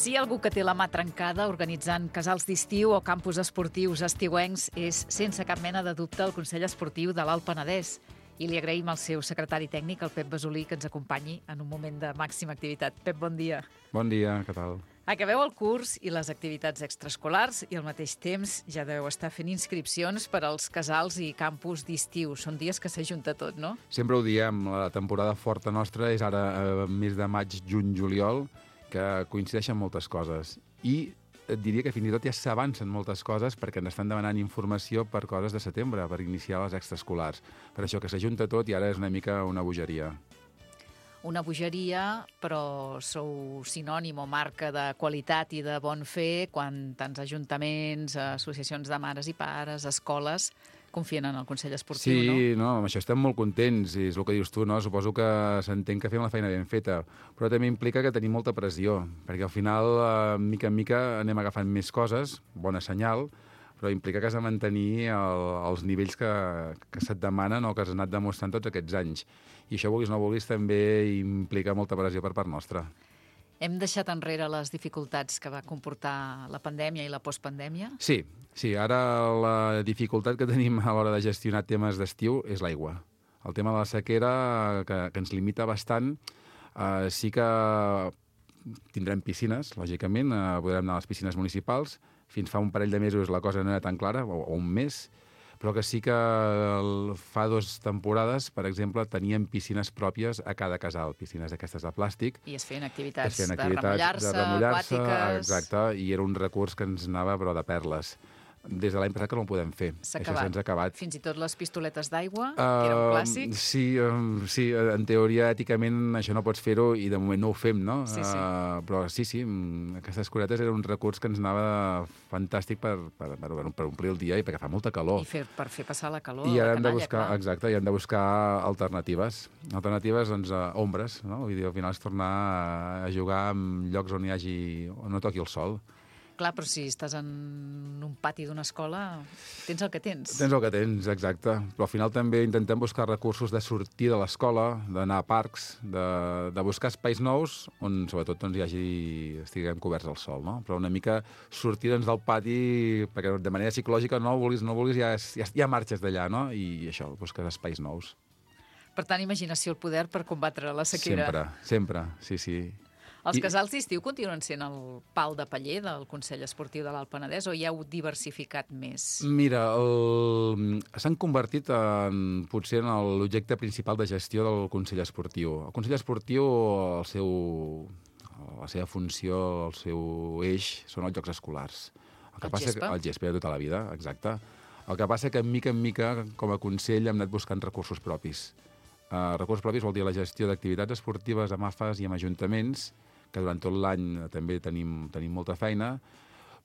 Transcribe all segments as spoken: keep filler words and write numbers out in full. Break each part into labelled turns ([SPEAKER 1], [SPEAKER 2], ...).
[SPEAKER 1] Si hi ha algú que té la mà trencada organitzant casals d'estiu o campus esportius estiuencs és, sense cap mena de dubte, el Consell Esportiu de l'Alt Penedès. I li agraïm al seu secretari tècnic, el Pep Besolí, que ens acompanyi en un moment de màxima activitat. Pep, bon dia.
[SPEAKER 2] Bon dia, què tal?
[SPEAKER 1] Acabeu el curs i les activitats extraescolars i al mateix temps ja deveu estar fent inscripcions per als casals i campus d'estiu. Són dies que s'ajunta tot, no?
[SPEAKER 2] Sempre ho diem, la temporada forta nostra és ara eh, mes de maig, juny, juliol, que coincideixen moltes coses. I et diria que fins i tot ja s'avancen moltes coses perquè ens estan demanant informació per coses de setembre, per iniciar les extraescolars. Per això que s'ajunta tot i ara és una mica una bogeria.
[SPEAKER 1] Una bogeria, però sou sinònim o marca de qualitat i de bon fer quan tants ajuntaments, associacions de mares i pares, escoles, confien en el Consell Esportiu,
[SPEAKER 2] sí,
[SPEAKER 1] no?
[SPEAKER 2] Sí, no, amb això estem molt contents, i és el que dius tu, no? Suposo que s'entén que fem la feina ben feta, però també implica que tenim molta pressió, perquè al final, eh, mica en mica, anem agafant més coses, bona senyal, però implica que has de mantenir el, els nivells que, que se't demanen o que has anat demostrant tots aquests anys. I això, vulguis o no vulguis, també implica molta pressió per part nostra.
[SPEAKER 1] Hem deixat enrere les dificultats que va comportar la pandèmia i la postpandèmia?
[SPEAKER 2] Sí, sí. Ara la dificultat que tenim a l'hora de gestionar temes d'estiu és l'aigua. El tema de la sequera, que, que ens limita bastant, eh, sí que tindrem piscines, lògicament, eh, podrem anar a les piscines municipals. Fins fa un parell de mesos la cosa no era tan clara, o, o un mes, però que sí que el, fa dues temporades, per exemple, teníem piscines pròpies a cada casal, piscines d'aquestes de plàstic.
[SPEAKER 1] I es feien activitats,
[SPEAKER 2] es feien
[SPEAKER 1] de
[SPEAKER 2] activitats
[SPEAKER 1] remullar-se,
[SPEAKER 2] de remullar-se,
[SPEAKER 1] aquàtiques...
[SPEAKER 2] Exacte, i era un recurs que ens anava, però de perles. Des de l'any passat que no ho podem fer.
[SPEAKER 1] S'ha
[SPEAKER 2] Això
[SPEAKER 1] acabat.
[SPEAKER 2] se'ns ha acabat.
[SPEAKER 1] Fins i tot les pistoletes d'aigua,
[SPEAKER 2] uh,
[SPEAKER 1] que era un clàssic.
[SPEAKER 2] Sí, um, sí, en teoria, èticament, això no pots fer-ho i de moment no ho fem, no?
[SPEAKER 1] Sí, sí.
[SPEAKER 2] Uh, però sí, sí, aquestes curetes eren un recurs que ens anava fantàstic per, per, per, per omplir el dia i perquè fa molta calor.
[SPEAKER 1] I fer, per fer passar la calor
[SPEAKER 2] I
[SPEAKER 1] a
[SPEAKER 2] ara
[SPEAKER 1] la
[SPEAKER 2] hem de
[SPEAKER 1] canalla,
[SPEAKER 2] buscar,
[SPEAKER 1] clar.
[SPEAKER 2] exacte, i hem de buscar alternatives. Alternatives, doncs, uh, ombres, no? Vull dir, al final és tornar a jugar en llocs on hi hagi, on no toqui el sol.
[SPEAKER 1] Clar, però si estàs en un pati d'una escola, tens el que tens.
[SPEAKER 2] Tens el que tens, exacte. Però al final també intentem buscar recursos de sortir de l'escola, d'anar a parcs, de, de buscar espais nous on sobretot doncs, hi hagi, estiguem coberts al sol, no? Però una mica sortir doncs, del pati, perquè de manera psicològica no vulguis, no vulguis, ja, ja, ja marxes d'allà, no? I això, busques espais nous.
[SPEAKER 1] Per tant, imaginació el poder per combatre la sequera.
[SPEAKER 2] Sempre, sempre, sí, sí.
[SPEAKER 1] Els
[SPEAKER 2] I...
[SPEAKER 1] casals d'estiu continuen sent el pal de paller del Consell Esportiu de l'Alt Penedès o hi heu diversificat més?
[SPEAKER 2] Mira, el... s'han convertit en, potser en l'objecte principal de gestió del Consell Esportiu. El Consell Esportiu, el seu, la seva funció, el seu eix, són els jocs escolars. El, que
[SPEAKER 1] el
[SPEAKER 2] passa
[SPEAKER 1] gespa?
[SPEAKER 2] Que, el gespa de tota la vida, exacte. El que passa que, mica en mica, com a Consell, hem anat buscant recursos propis. Uh, recursos propis vol dir la gestió d'activitats esportives amb A F As i amb ajuntaments, que durant tot l'any també tenim, tenim molta feina,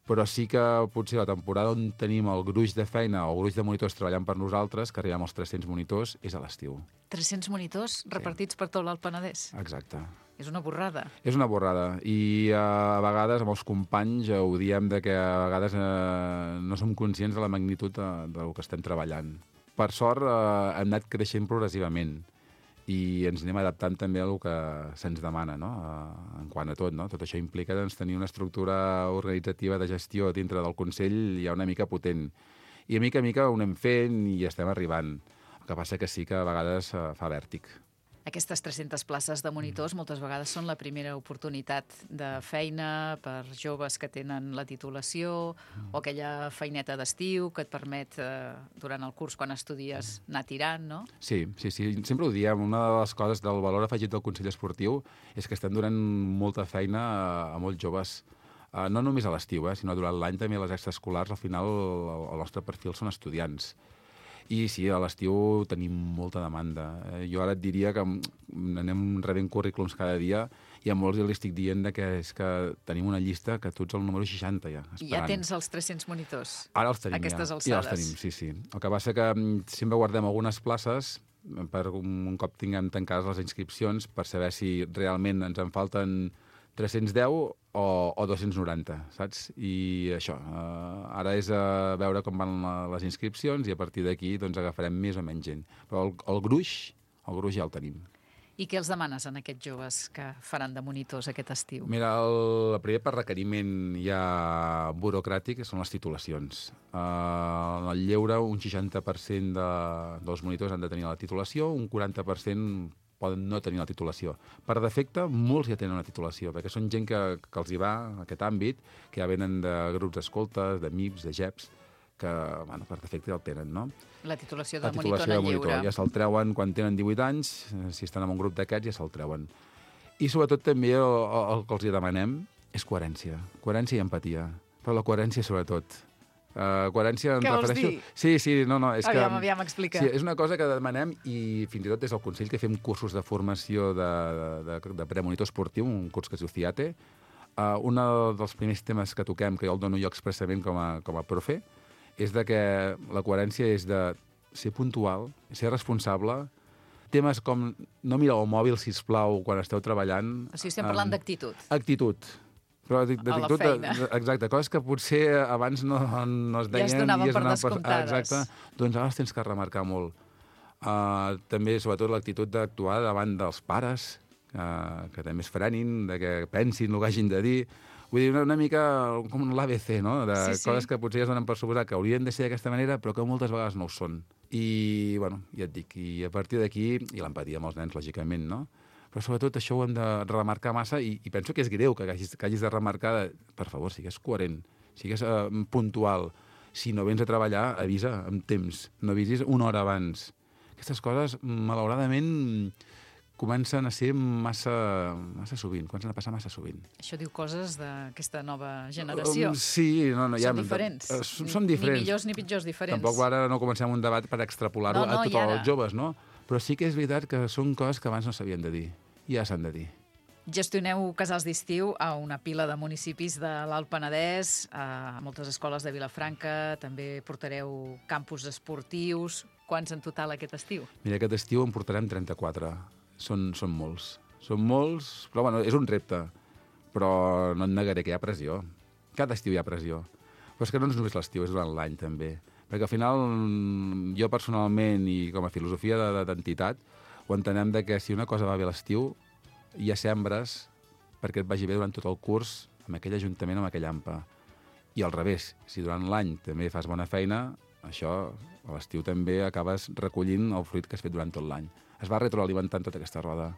[SPEAKER 2] però sí que potser la temporada on tenim el gruix de feina o el gruix de monitors treballant per nosaltres, que arribem als tres-cents monitors, és a l'estiu.
[SPEAKER 1] tres-cents monitors repartits sí. per tot l'Alt Penedès?
[SPEAKER 2] Exacte.
[SPEAKER 1] És una borrada. És
[SPEAKER 2] una borrada. I uh, a vegades amb els companys uh, ho diem de que a vegades uh, no som conscients de la magnitud de, del que estem treballant. Per sort uh, hem anat creixent progressivament i ens anem adaptant també a el que se'ns demana, no? Uh, en quant a tot, no? Tot això implica doncs, tenir una estructura organitzativa de gestió dintre del Consell ja una mica potent. I a mica a mica ho anem fent i estem arribant. El que passa que sí que a vegades uh, fa vèrtic.
[SPEAKER 1] Aquestes tres-centes places de monitors moltes vegades són la primera oportunitat de feina per joves que tenen la titulació o aquella feineta d'estiu que et permet, eh, durant el curs, quan estudies, anar tirant, no?
[SPEAKER 2] Sí, sí, sí. Sempre ho diem. Una de les coses del valor afegit del Consell Esportiu és que estem donant molta feina a, a molts joves. Uh, no només a l'estiu, eh, sinó durant l'any també a les extraescolars. Al final el, el nostre perfil són estudiants. I sí, a l'estiu tenim molta demanda. Eh, jo ara et diria que anem rebent currículums cada dia i a molts els estic dient que és que tenim una llista que tu ets el número seixanta ja, esperant.
[SPEAKER 1] Ja tens els tres-cents monitors?
[SPEAKER 2] Ara els tenim,
[SPEAKER 1] aquestes
[SPEAKER 2] ja.
[SPEAKER 1] alçades.
[SPEAKER 2] Ja els tenim, sí, sí. El que passa que sempre guardem algunes places per un cop tinguem tancades les inscripcions per saber si realment ens en falten tres-cents deu o, o dos-cents noranta, saps? I això, eh, ara és a veure com van les inscripcions i a partir d'aquí doncs, agafarem més o menys gent. Però el, el gruix, el gruix ja el tenim.
[SPEAKER 1] I què els demanes en aquests joves que faran de monitors aquest estiu?
[SPEAKER 2] Mira, el, el primer per requeriment ja burocràtic són les titulacions. Uh, en el lleure, un seixanta per cent de, dels monitors han de tenir la titulació, un quaranta per cent poden no tenir la titulació. Per defecte, molts ja tenen una titulació, perquè són gent que, que els hi va a aquest àmbit, que ja venen de grups d'escoltes, de M I Ps, de G E Ps, que bueno, per defecte ja el tenen, no?
[SPEAKER 1] La titulació de
[SPEAKER 2] la
[SPEAKER 1] monitor
[SPEAKER 2] titulació
[SPEAKER 1] en
[SPEAKER 2] de
[SPEAKER 1] el
[SPEAKER 2] monitor.
[SPEAKER 1] lleure.
[SPEAKER 2] Ja se'l treuen quan tenen divuit anys, si estan en un grup d'aquests ja se'l treuen. I sobretot també el, el que els hi demanem és coherència. Coherència i empatia. Però la coherència sobretot. Uh, coherència em
[SPEAKER 1] Què vols
[SPEAKER 2] refereixo...
[SPEAKER 1] dir?
[SPEAKER 2] Sí, sí, no, no. És
[SPEAKER 1] Aviam,
[SPEAKER 2] que,
[SPEAKER 1] aviam, explica.
[SPEAKER 2] Sí, és una cosa que demanem i fins i tot des del Consell que fem cursos de formació de, de, de premonitor esportiu, un curs que es diu CIATE. Uh, un dels primers temes que toquem, que jo el dono jo expressament com a, com a profe, és de que la coherència és de ser puntual, ser responsable, temes com no mirar el mòbil, sisplau, quan esteu treballant.
[SPEAKER 1] O sigui, estem parlant um, d'actitud.
[SPEAKER 2] Actitud. Però d'actitud, exacte, coses que potser abans no, no es deien.
[SPEAKER 1] Ja es donaven
[SPEAKER 2] i es
[SPEAKER 1] per descomptades.
[SPEAKER 2] Exacte, doncs ara els tens que remarcar molt. Uh, també, sobretot, l'actitud d'actuar davant dels pares, uh, que també es frenin, de que pensin el que hagin de dir. Vull dir, una, una mica com l'A B C, no? De
[SPEAKER 1] sí, sí.
[SPEAKER 2] Coses que potser ja es donen per suposar que haurien de ser d'aquesta manera, però que moltes vegades no ho són. I, bueno, ja et dic, i a partir d'aquí, i l'empatia amb els nens, lògicament, no? Però sobretot això ho hem de remarcar massa i, i penso que és greu que hagis, que hagis de remarcar, de, per favor, sigues coherent, sigues uh, puntual. Si no vens a treballar, avisa amb temps, no avisis una hora abans. Aquestes coses, malauradament, comencen a ser massa, massa sovint, comencen a passar massa sovint.
[SPEAKER 1] Això diu coses d'aquesta nova generació.
[SPEAKER 2] Um, sí, no, no.
[SPEAKER 1] Són
[SPEAKER 2] ja,
[SPEAKER 1] diferents.
[SPEAKER 2] Uh, són diferents.
[SPEAKER 1] Ni millors ni pitjors, diferents.
[SPEAKER 2] Tampoc ara no comencem un debat per extrapolar-ho
[SPEAKER 1] no, no,
[SPEAKER 2] a tots
[SPEAKER 1] ara...
[SPEAKER 2] els joves, no? Però sí que és veritat que són coses que abans no s'havien de dir. I ja s'han de dir.
[SPEAKER 1] Gestioneu casals d'estiu a una pila de municipis de l'Alt Penedès, a moltes escoles de Vilafranca, també portareu campus esportius. Quants en total aquest estiu?
[SPEAKER 2] Mira, aquest estiu en portarem trenta-quatre. Són, són molts. Són molts, però bueno, és un repte. Però no et negaré que hi ha pressió. Cada estiu hi ha pressió. Però és que no és només l'estiu, és durant l'any també. Perquè al final, jo personalment i com a filosofia d'entitat, ho entenem de que si una cosa va bé a l'estiu, hi ha sembres perquè et vagi bé durant tot el curs amb aquell ajuntament, amb aquell A M P A. I al revés, si durant l'any també fas bona feina, això a l'estiu també acabes recollint el fruit que has fet durant tot l'any. Es va retroalimentant tota aquesta roda.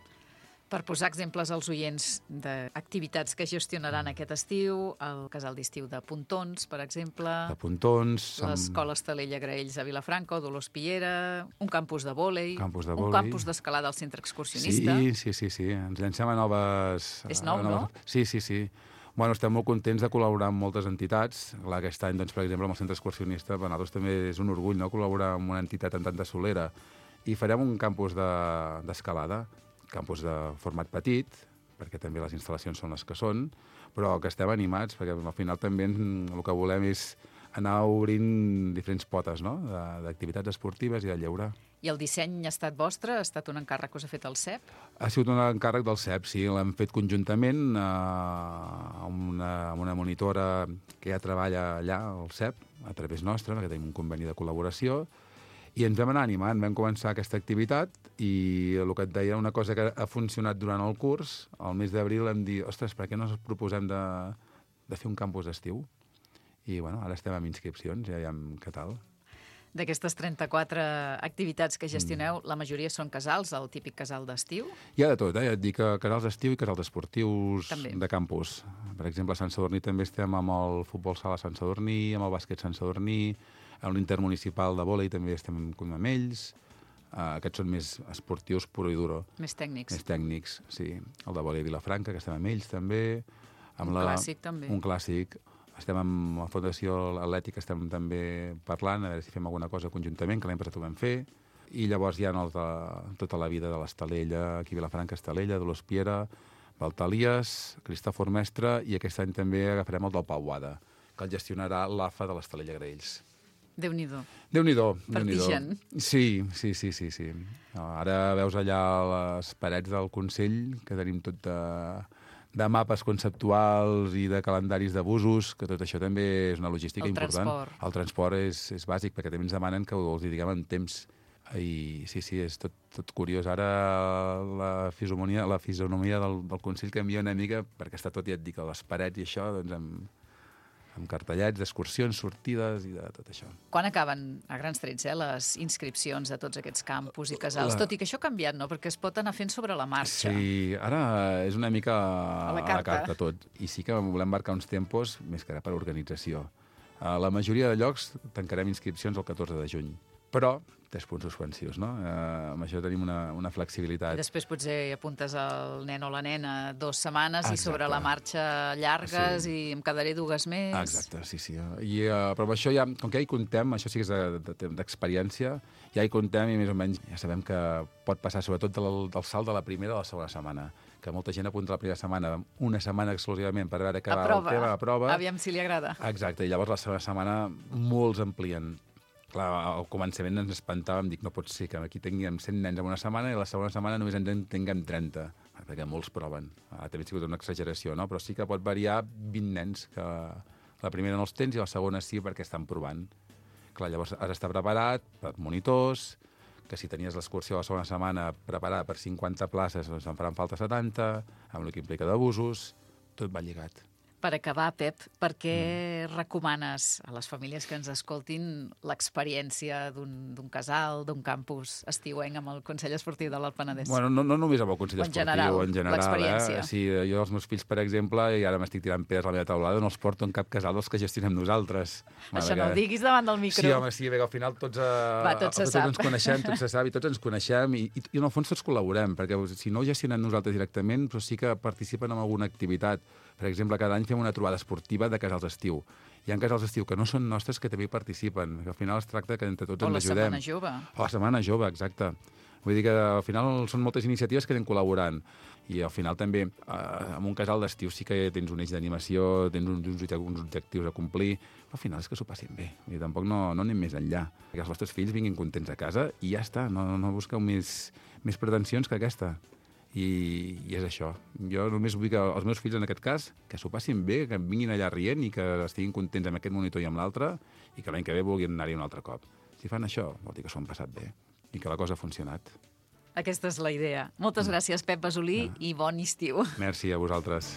[SPEAKER 1] Per posar exemples als oients d'activitats que gestionaran aquest estiu, el casal d'estiu de Pontons, per exemple,
[SPEAKER 2] de Pontons,
[SPEAKER 1] l'escola Estalella Graells a Vilafranca o Dolors Piera, un campus de vòlei,
[SPEAKER 2] campus de
[SPEAKER 1] un
[SPEAKER 2] vòlei.
[SPEAKER 1] campus d'escalada al centre excursionista.
[SPEAKER 2] Sí, sí, sí, sí. Ens llancem a noves...
[SPEAKER 1] És nou,
[SPEAKER 2] a noves...
[SPEAKER 1] no?
[SPEAKER 2] Sí, sí, sí. Bueno, estem molt contents de col·laborar amb moltes entitats. Clar, aquest any, doncs, per exemple, amb el centre excursionista, per nosaltres també és un orgull, no?, col·laborar amb una entitat en tanta solera. I farem un campus d'escalada, de, campus de format petit, perquè també les instal·lacions són les que són, però que estem animats, perquè al final també el que volem és anar obrint diferents potes, no?, d'activitats esportives i de lleure.
[SPEAKER 1] I el disseny ha estat vostre? Ha estat un encàrrec que us ha fet el C E P?
[SPEAKER 2] Ha sigut un encàrrec del C E P, sí. L'hem fet conjuntament eh, amb, una, amb una monitora que ja treballa allà, al C E P, a través nostra, perquè tenim un conveni de col·laboració, i ens vam anar animant, vam començar aquesta activitat i el que et deia, una cosa que ha funcionat durant el curs, al mes d'abril vam dir, ostres, per què no ens proposem de, de fer un campus d'estiu? I bueno, ara estem amb inscripcions, ja veiem què tal.
[SPEAKER 1] D'aquestes trenta-quatre activitats que gestioneu, mm. la majoria són casals, el típic casal d'estiu?
[SPEAKER 2] Hi ha de tot, eh? Et dic que casals d'estiu i casals esportius
[SPEAKER 1] també.
[SPEAKER 2] De campus. Per exemple, a Sant Sadurní també estem amb el futbol sala Sant Sadurní, amb el bàsquet Sant Sadurní, amb l'intermunicipal de vòlei també estem amb ells. Uh, aquests són més esportius puro i duro.
[SPEAKER 1] Més tècnics.
[SPEAKER 2] Més tècnics, sí. El de vòlei Vilafranca, que estem amb ells també. Amb
[SPEAKER 1] un
[SPEAKER 2] la...
[SPEAKER 1] clàssic també.
[SPEAKER 2] Un clàssic. Estem amb la Fundació Atlètica, estem també parlant, a veure si fem alguna cosa conjuntament, que l'any passat ho vam fer. I llavors hi ha els de tota la vida de l'Estalella, aquí a Vilafranca, Estalella, Dolors Piera, Valtalies, Cristòfor Mestre, i aquest any també agafarem el del Pau Boada, que el gestionarà l'A F A de l'Estalella Graells.
[SPEAKER 1] Déu-n'hi-do.
[SPEAKER 2] Déu-n'hi-do.
[SPEAKER 1] Partigen.
[SPEAKER 2] Sí, sí, sí, sí, sí. Ara veus allà les parets del Consell, que tenim tot de... de mapes conceptuals i de calendaris d'abusos, que tot això també és una logística
[SPEAKER 1] el
[SPEAKER 2] important.
[SPEAKER 1] Transport.
[SPEAKER 2] El transport és, és bàsic, perquè també ens demanen que els hi diguem en temps. I sí, sí, és tot, tot curiós. Ara la fisonomia, la fisonomia del, del Consell canvia una mica, perquè està tot, ja et dic, a les parets i això, doncs amb, amb cartellets d'excursions, sortides i de tot això.
[SPEAKER 1] Quan acaben, a grans trets, eh, les inscripcions de tots aquests campus i casals?
[SPEAKER 2] La...
[SPEAKER 1] Tot i que això ha canviat, no? Perquè es pot anar fent sobre la marxa.
[SPEAKER 2] Sí, ara és una mica
[SPEAKER 1] a la carta,
[SPEAKER 2] a la carta tot. I sí que volem marcar uns tempos més que ara per organització. A la majoria de llocs tancarem inscripcions el catorze de juny. Però tres punts suspensius, no? Eh, amb això tenim una, una flexibilitat.
[SPEAKER 1] I després potser apuntes el nen o la nena dues setmanes Exacte. I sobre la marxa llargues sí. I em quedaré dues més.
[SPEAKER 2] Exacte, sí, sí. I, uh, però amb això ja, com que ja hi comptem, això sí que és d'experiència, ja hi comptem i més o menys ja sabem que pot passar sobretot del, del salt de la primera a la segona setmana, que molta gent apunta la primera setmana, una setmana exclusivament per veure que
[SPEAKER 1] a
[SPEAKER 2] va
[SPEAKER 1] prova.
[SPEAKER 2] el tema, a prova.
[SPEAKER 1] Aviam si li agrada.
[SPEAKER 2] Exacte, i llavors la segona setmana molts amplien. Clar, al començament ens espantàvem, dic, no pot ser que aquí tinguem cent nens en una setmana i la segona setmana només en tinguem trenta, perquè molts proven. Ah, també ha sigut una exageració, no? Però sí que pot variar vint nens, que la primera no els tens i la segona sí perquè estan provant. Clar, llavors has d'estar preparat per monitors, que si tenies l'excursió la segona setmana preparada per cinquanta places, doncs en faran falta setanta, amb el que implica d'abusos, tot va lligat.
[SPEAKER 1] Per acabar, Pep, per què mm. recomanes a les famílies que ens escoltin l'experiència d'un casal, d'un campus estiuenc amb el Consell Esportiu de l'Alt Penedès?
[SPEAKER 2] Bueno, no, no només amb el Consell
[SPEAKER 1] en
[SPEAKER 2] Esportiu,
[SPEAKER 1] general,
[SPEAKER 2] en general.
[SPEAKER 1] L'experiència.
[SPEAKER 2] Eh? Sí, jo els meus fills, per exemple, i ara m'estic tirant pedres a la meva taulada, no els porto en cap casal dels que gestionem nosaltres.
[SPEAKER 1] Això no ho diguis davant del micro.
[SPEAKER 2] Sí, home, sí, bé, al final tots, uh,
[SPEAKER 1] Va, tot se
[SPEAKER 2] tots
[SPEAKER 1] sap.
[SPEAKER 2] ens coneixem, tots se sap i tots ens coneixem i, i, i en el fons tots col·laborem, perquè si no ho gestionem nosaltres directament, però sí que participen en alguna activitat. Per exemple, cada any fem una trobada esportiva de casals d'estiu. Hi ha casals d'estiu que no són nostres que també hi participen, que al final es tracta que entre tots
[SPEAKER 1] o
[SPEAKER 2] ens ajudem.
[SPEAKER 1] O la Setmana Jove.
[SPEAKER 2] O la Setmana Jove, exacte. Vull dir que al final són moltes iniciatives que anem col·laborant. I al final també, eh, en un casal d'estiu sí que tens un eix d'animació, tens uns, uns objectius a complir, però al final és que s'ho passin bé. I tampoc no, no anem més enllà. Que els vostres fills vinguin contents a casa i ja està, no, no busqueu més, més pretensions que aquesta. I, i és això. Jo només vull que els meus fills, en aquest cas, que s'ho passin bé, que vinguin allà rient i que estiguin contents amb aquest monitor i amb l'altre i que l'any que ve vulguin anar-hi un altre cop. Si fan això, vol dir que s'ho han passat bé i que la cosa ha funcionat.
[SPEAKER 1] Aquesta és la idea. Moltes gràcies, Pep Besolí,
[SPEAKER 2] ah.
[SPEAKER 1] i bon estiu.
[SPEAKER 2] Merci a vosaltres.